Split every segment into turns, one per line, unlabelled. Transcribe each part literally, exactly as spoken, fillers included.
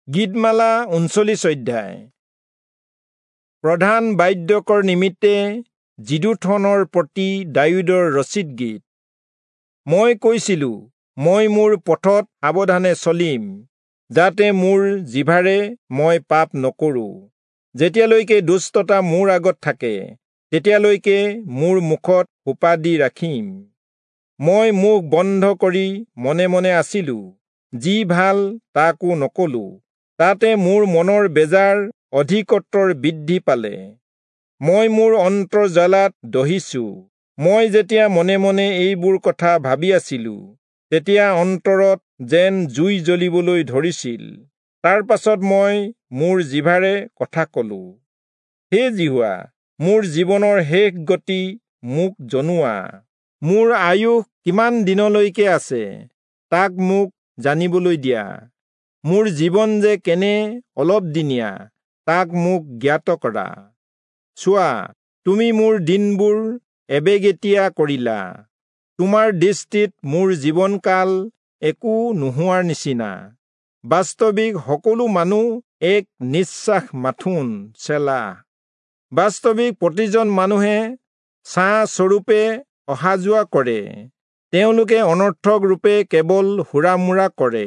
গীতমালা ঊনচল্লিশ অধ্যায়। প্ৰধান বাদ্যকৰ নিমিত্তে যিদূথনৰ প্ৰতি দায়ূদৰ ৰচিত গীত। মই কৈছিলো, মই মোৰ পথত সাৱধানে চলিম, যাতে মোৰ জিভাৰে মই পাপ নকৰো। যেতিয়ালৈকে দুষ্টতা মোৰ আগত থাকে, তেতিয়ালৈকে মোৰ মুখত সোপা দি ৰাখিম। মই মুখ বন্ধ কৰি মনে মনে আছিলো, যি ভাল তাকো নকলো। তাতে মোৰ মনৰ বেজাৰ অধিকতৰ বৃদ্ধি পালে। মই মোৰ অন্তৰ জ্বালাত দহিছো। মই যেতিয়া মনে মনে এইবোৰ কথা ভাবি আছিলো, তেতিয়া অন্তৰত যেন জুই জ্বলিবলৈ ধৰিছিল। তাৰ পাছত মই মোৰ জিভাৰে কথা কলো, হে যিহোৱা, মোৰ জীৱনৰ শেষ গতি মোক জনোৱা। মোৰ আয়ুস কিমান দিনলৈকে আছে, তাক মোক জানিবলৈ দিয়া। মোৰ জীৱন যে কেনে অলপদিনীয়া, তাক মোক জ্ঞাত কৰা। চোৱা, তুমি মোৰ দিনবোৰ এবেগেতীয়া কৰিলা। তোমাৰ দৃষ্টিত মোৰ জীৱনকাল একো নোহোৱাৰ নিচিনা। বাস্তৱিক সকলো মানুহ এক নিশ্বাস মাথোন। চেলা। বাস্তৱিক প্ৰতিজন মানুহে ছাঁ স্বৰূপে অহা যোৱা কৰে। তেওঁলোকে অনৰ্থক ৰূপে কেৱল হুৰামুৰা কৰে।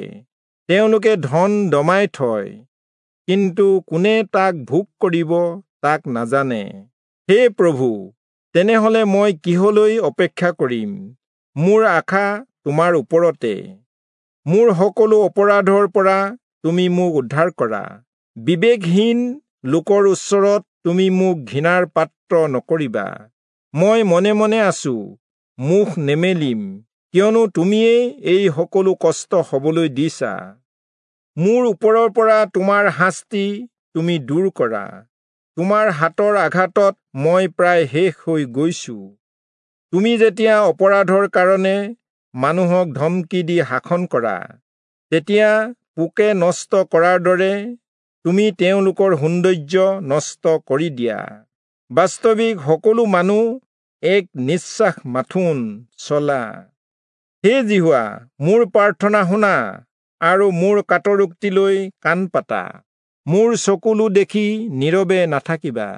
তেওঁলোকে ধন দমাই থয়, কিন্তু কোনে তাক ভোগ কৰিব তাক নাজানে। হে প্ৰভু, তেনেহলে মই কিহলৈ অপেক্ষা কৰিম? মোৰ আশা তোমাৰ ওপৰতে। মোৰ সকলো অপৰাধৰ পৰা তুমি মোক উদ্ধাৰ কৰা। বিবেকহীন লোকৰ ওচৰত তুমি মোক ঘৃণাৰ পাত্ৰ নকৰিবা। মই মনে মনে আছো, মুখ নেমেলিম, কিয়নো তুমিয়েই এই সকলো কষ্ট হবলৈ দিছা। মোৰ ওপৰৰ পৰা তোমাৰ শাস্তি তুমি দূৰ কৰা। তোমাৰ হাতৰ আঘাতত মই প্ৰায় শেষ হৈ গৈছো। তুমি যেতিয়া অপৰাধৰ কাৰণে মানুহক ধমকি দি শাসন কৰা, তেতিয়া পোকে নষ্ট কৰাৰ দৰে তুমি তেওঁলোকৰ সৌন্দৰ্য নষ্ট কৰি দিয়া। বাস্তৱিক সকলো মানুহ এক নিশ্বাস মাথোন। চলা। হে যিহোৱা, মোৰ প্ৰাৰ্থনা শুনা আৰু মোৰ কাতৰোক্তিলৈ কাণ পাতা। মোৰ চকুলো দেখি নীৰৱে নাথাকিবা।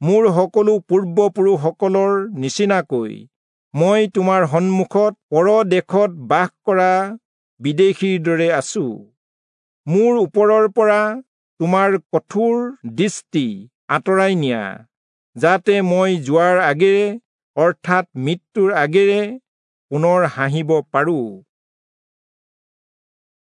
মোৰ সকলো পূৰ্বপুৰুষসকলৰ নিচিনাকৈ মই তোমাৰ সন্মুখত পৰদেশত বাস কৰা বিদেশীৰ দৰে আছো। মোৰ ওপৰৰ পৰা তোমাৰ কঠোৰ দৃষ্টি আঁতৰাই নিয়া, যাতে মই যোৱাৰ আগেৰে, অৰ্থাৎ মৃত্যুৰ আগেৰে পুনৰ হাঁহিব পাৰো।